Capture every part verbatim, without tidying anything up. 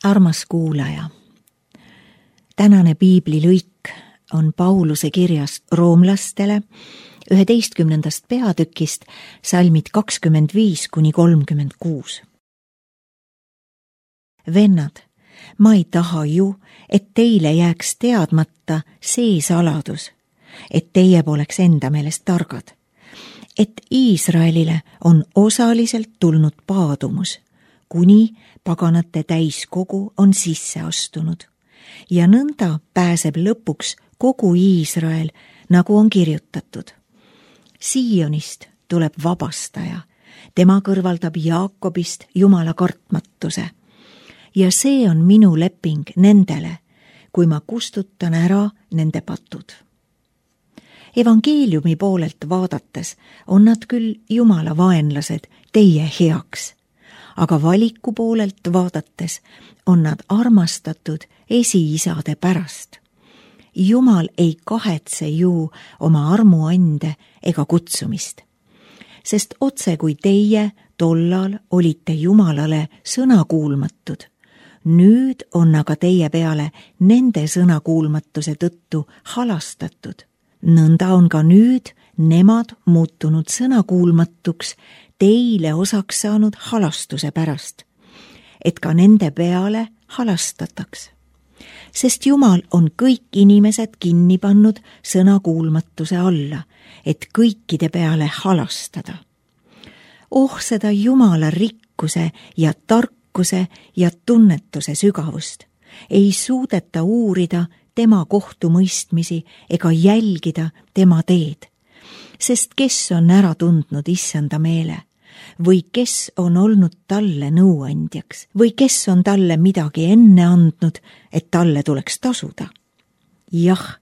Armas kuulaja, tänane piiblilõik on Pauluse kirjast roomlastele üheteistkümnendast peatükist salmid kakskümmend viis kuni kolmkümmend kuus. Vennad, ma ei taha ju, et teile jääks teadmata see saladus, et teie poleks enda meelest targad, et Iisraelile on osaliselt tulnud paadumus, kuni paganate täiskogu on sisse astunud ja nõnda pääseb lõpuks kogu Iisrael, nagu on kirjutatud. Siionist tuleb vabastaja, tema kõrvaldab Jaakobist Jumala kartmatuse ja see on minu leping nendele, kui ma kustutan ära nende patud. Evangeeliumi poolelt vaadates on nad küll Jumala vaenlased teie heaks, aga valiku poolelt vaadates on nad armastatud esiisade pärast. Jumal ei kahetse ju oma armuande ega kutsumist, sest otse kui teie tollal olite Jumalale sõnakuulmatud, nüüd on aga teie peale nende sõnakuulmatuse tõttu halastatud. Nõnda on ka nüüd nemad muutunud sõnakuulmatuks teile osaks saanud halastuse pärast, et ka nende peale halastataks. Sest Jumal on kõik inimesed kinni pannud sõnakuulmatuse alla, et kõikide peale halastada. Oh seda Jumala rikkuse ja tarkuse ja tunnetuse sügavust ei suudeta uurida tema kohtumõistmisi ega jälgida tema teed, sest kes on ära tundnud issanda meele või kes on olnud talle nõuandjaks või kes on talle midagi enne andnud, et talle tuleks tasuda. Jah,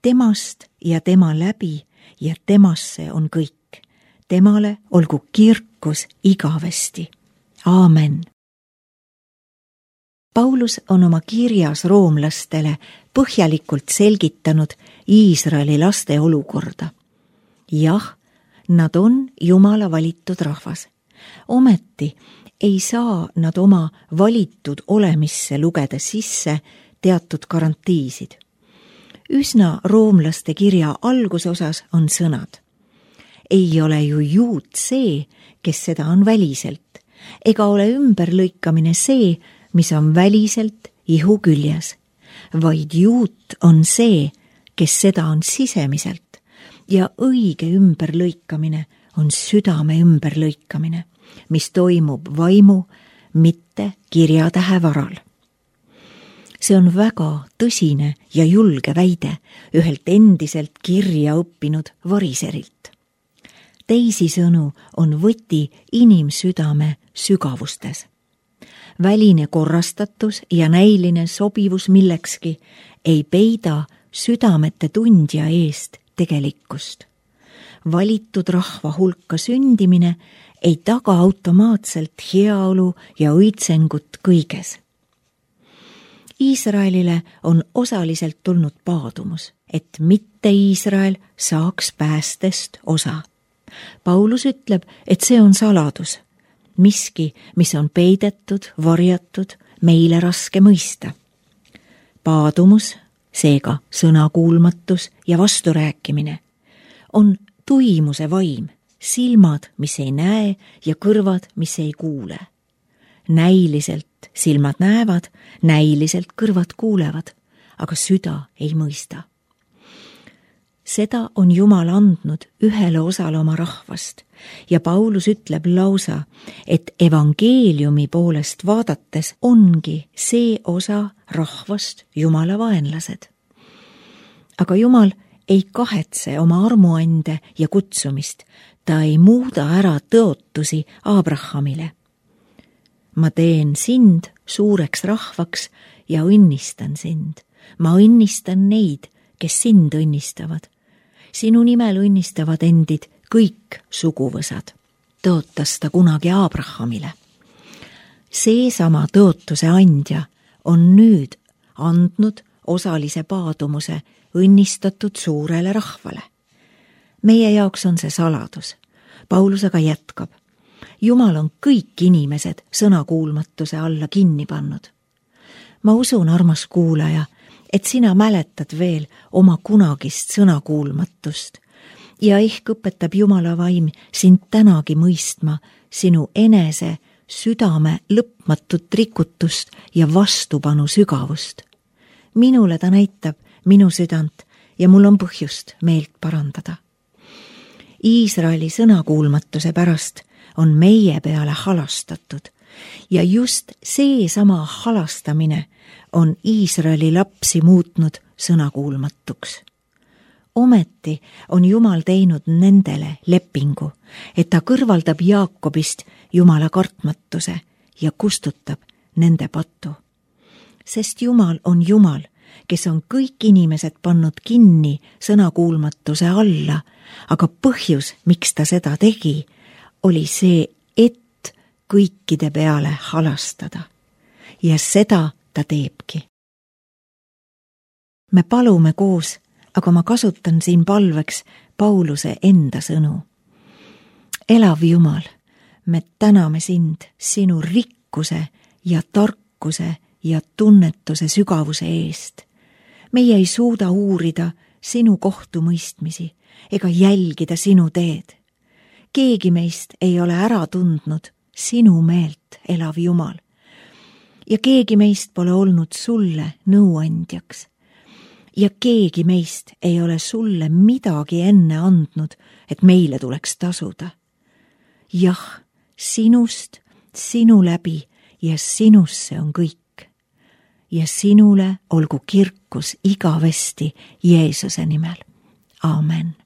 temast ja tema läbi ja temasse on kõik. Temale olgu kirkus igavesti. Aamen. Paulus on oma kirjas roomlastele põhjalikult selgitanud Iisraeli laste olukorda. Jah, nad on Jumala valitud rahvas. Ometi ei saa nad oma valitud olemisse lugeda sisse teatud garantiisid. Üsna roomlaste kirja algusosas on sõnad. Ei ole ju juut see, kes seda on väliselt, ega ole ümberlõikamine see, mis on väliselt ihu küljes, vaid juut on see, kes seda on sisemiselt ja õige ümberlõikamine on südame ümberlõikamine, mis toimub vaimu, mitte kirjatähe varal. See on väga tõsine ja julge väide ühelt endiselt kirja õppinud variserilt. Teisisõnu on võti inimsüdame sügavustes. Väline korrastatus ja näiline sobivus millekski ei peida südamete tundja eest tegelikkust. Valitud rahva hulka sündimine ei taga automaatselt heaolu ja õitsengut kõiges. Iisraelile on osaliselt tulnud paadumus, et mitte Iisrael saaks päästest osa. Paulus ütleb, et see on saladus, miski, mis on peidetud, varjatud, meile raske mõista. Paadumus, seega sõnakuulmatus ja vasturääkimine, on tuimuse vaim, silmad, mis ei näe ja kõrvad, mis ei kuule. Näiliselt silmad näevad, näiliselt kõrvad kuulevad, aga süda ei mõista. Seda on Jumal andnud ühele osale oma rahvast ja Paulus ütleb lausa, et evangeeliumi poolest vaadates ongi see osa rahvast Jumala vaenlased. Aga Jumal ei kahetse oma armuande ja kutsumist, ta ei muuda ära tõotusi Abrahamile. Ma teen sind suureks rahvaks ja õnnistan sind. Ma õnnistan neid, kes sind õnnistavad. Sinu nimel õnnistavad endid kõik suguvõsad. Tõotas ta kunagi Abrahamile. Seesama tõotuse andja on nüüd andnud osalise paadumuse õnnistatud suurele rahvale. Meie jaoks on see saladus. Paulus aga jätkab. Jumal on kõik inimesed sõnakuulmatuse alla kinni pannud. ma usun, armas kuulaja, et sina mäletad veel oma kunagist sõnakuulmatust ja ehk õpetab Jumala vaim sind tänagi mõistma sinu enese südame lõpmatut rikutust ja vastupanu sügavust. Minule ta näitab minu südant ja mul on põhjust meelt parandada. Iisraeli sõnakuulmatuse pärast on meie peale halastatud ja just seesama halastamine on Iisraeli lapsi muutnud sõnakuulmatuks. Ometi on Jumal teinud nendele lepingu, et ta kõrvaldab Jaakobist Jumala kartmatuse ja kustutab nende patu. Sest Jumal on Jumal, kes on kõik inimesed pannud kinni sõnakuulmatuse alla, aga põhjus, miks ta seda tegi, oli see, et kõikide peale halastada. Ja seda ta teebki. Me palume koos, aga ma kasutan siin palveks Pauluse enda sõnu. Elav Jumal, me täname sind sinu rikkuse ja tarkuse ja tunnetuse sügavuse eest. Meie ei suuda uurida sinu kohtumõistmisi ega jälgida sinu teed. Keegi meist ei ole ära tundnud sinu meelt, elav Jumal. Ja keegi meist pole olnud sulle nõuandjaks. Ja keegi meist ei ole sulle midagi enne andnud, et meile tuleks tasuda. Jah, sinust, sinu läbi ja sinusse on kõik. Ja sinule olgu kirkus igavesti Jeesuse nimel. Aamen.